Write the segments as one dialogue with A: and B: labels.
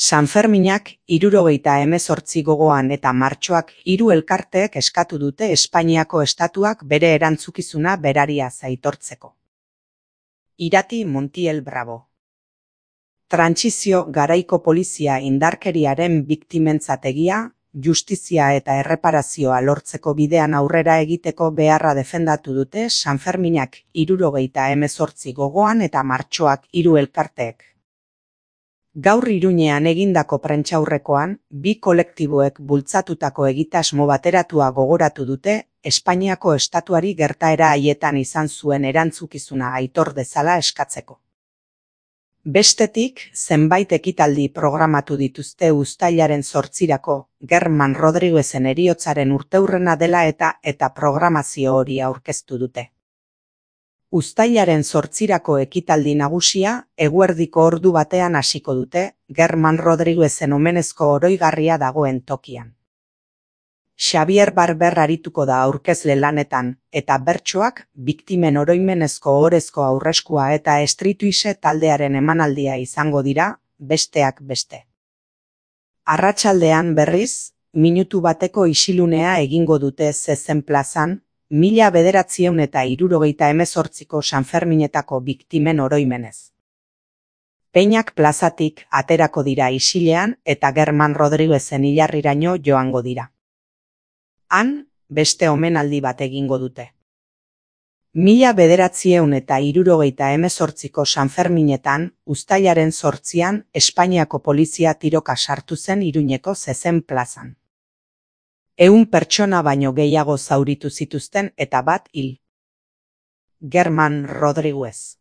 A: Sanferminak 78 gogoan eta martxoak 3 elkarteek eskatu dute Espainiako estatuak bere erantzukizuna berariaz aitortzeko. Irati Montiel Bravo. Trantsizio garaiko polizia indarkeriaren biktimentzat egia, justizia eta erreparazioa lortzeko bidean aurrera egiteko beharra defendatu dute Sanferminak 78 gogoan eta martxoak 3 elkarteek. Gaur Iruñean egindako prentsaurrekoan, bi kolektiboek bultzatutako egitasmo bateratua gogoratu dute Espainiako estatuari gertaera haietan izan zuen erantzukizuna aitor dezala eskatzeko. Bestetik, zenbait ekitaldi programatu dituzte uztailaren 8irako, Germán Rodríguezen heriotzaren urteurrena dela eta programazio hori aurkeztu dute. Uztailaren 8irako ekitaldi nagusia eguerdiko ordu batean hasiko dute, Germán Rodríguezen omenezko oroigarria dagoen tokian. Xavier Barber arituko da aurkezle lanetan, eta bertsoak biktimen oroimenezko ohorezko aurreskua eta Streetwise taldearen emanaldia izango dira, besteak beste. Arratsaldean berriz, minutu bateko isilunea egingo dute Zezen plazan, 1978ko Sanferminetako biktimen oroimenez. Peinak plazatik aterako dira isilean eta Germán Rodríguezen hilarriraino joango dira. Han, beste omenaldi bat egingo dute. 1978ko Sanferminetan, uztailaren 8an, Espainiako polizia tiroka sartu zen Iruñeko Zezen plazan. 100 pertsona baino gehiago zauritu zituzten eta bat hil. Germán Rodríguez.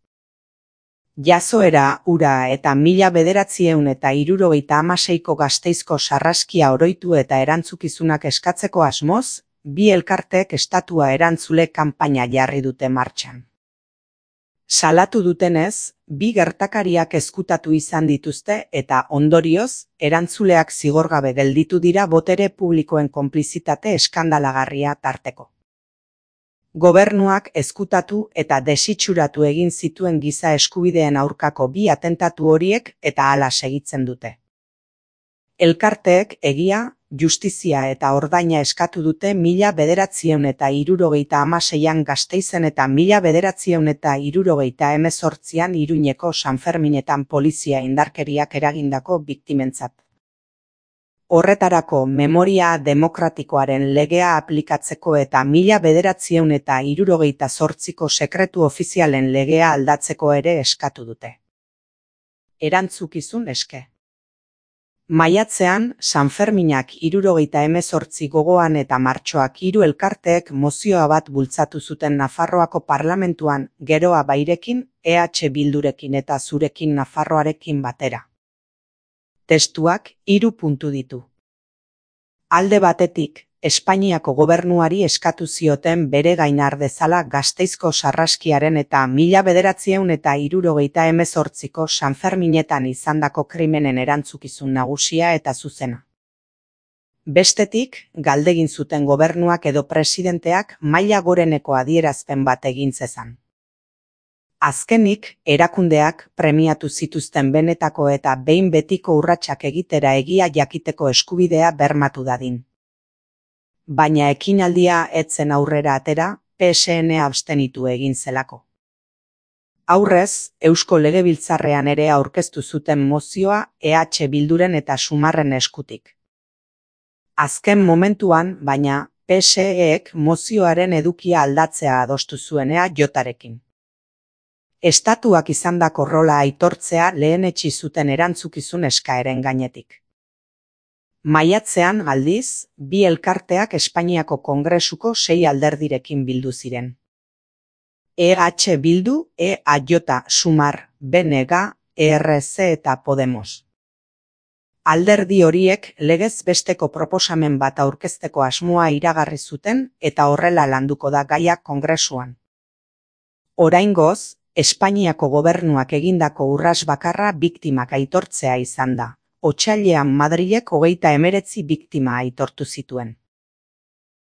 A: Jazoera, ura eta 1976ko Gasteizko sarraskia oroitu eta erantzukizunak eskatzeko asmoz, bi elkarteek estatua erantzule kanpaina jarri dute martxan. Salatu dutenez, bi gertakariak ezkutatu izan dituzte eta ondorioz, erantzuleak zigorgabe gelditu dira botere publikoen konplizitate eskandalagarria tarteko. Gobernuak ezkutatu eta desitxuratu egin zituen giza eskubideen aurkako bi atentatu horiek eta hala segitzen dute. Elkarteek egia, justizia eta ordaina eskatu dute 1976an Gasteizen eta 1978an Iruñeko Sanferminetan polizia indarkeriak eragindako biktimentzat. Horretarako memoria demokratikoaren legea aplikatzeko eta 1978ko sekretu ofizialen legea aldatzeko ere eskatu dute. Erantzukizun eske. Maiatzean, Sanferminak 78 gogoan eta martxoak 3 elkarteek mozioa bat bultzatu zuten Nafarroako parlamentuan, Geroa Bairekin, Bildurekin eta Zurekin Nafarroarekin batera. Testuak 3 puntu ditu. Alde batetik, Espainiako gobernuari eskatu zioten bere gain har dezala Gasteizko sarraskiaren eta 1978ko Sanferminetan izandako krimenen erantzukizun nagusia eta zuzena. Bestetik, galdegin zuten gobernuak edo presidenteak maila goreneko adierazpen bat egin zezan. Azkenik, erakundeak premiatu zituzten benetako eta behin betiko urratsak egitera egia jakiteko eskubidea bermatu dadin. Baina ekinaldia etzen aurrera atera, PSN abstenitu egin zelako. Aurrez, Eusko Legebiltzarrean ere aurkeztu zuten mozioa Bilduren eta Sumarren eskutik. Azken momentuan, baina, PSEek mozioaren edukia aldatzea adostu zuenea Jotarekin. Estatuak izandako rola aitortzea lehenetsi zuten erantzukizun eskaeren gainetik. Maiatzean, aldiz, bi elkarteak Espainiako Kongresuko 6 alderdirekin bildu ziren. Bildu, EAJ, Sumar, BNG, ERC eta Podemos. Alderdi horiek legez besteko proposamen bat aurkezteko asmoa iragarri zuten eta horrela landuko da gaia Kongresuan. Oraingoz, Espainiako gobernuak egindako urrats bakarra biktimak aitortzea izan da. Otsailean Madrilek 39 biktima aitortu zituen.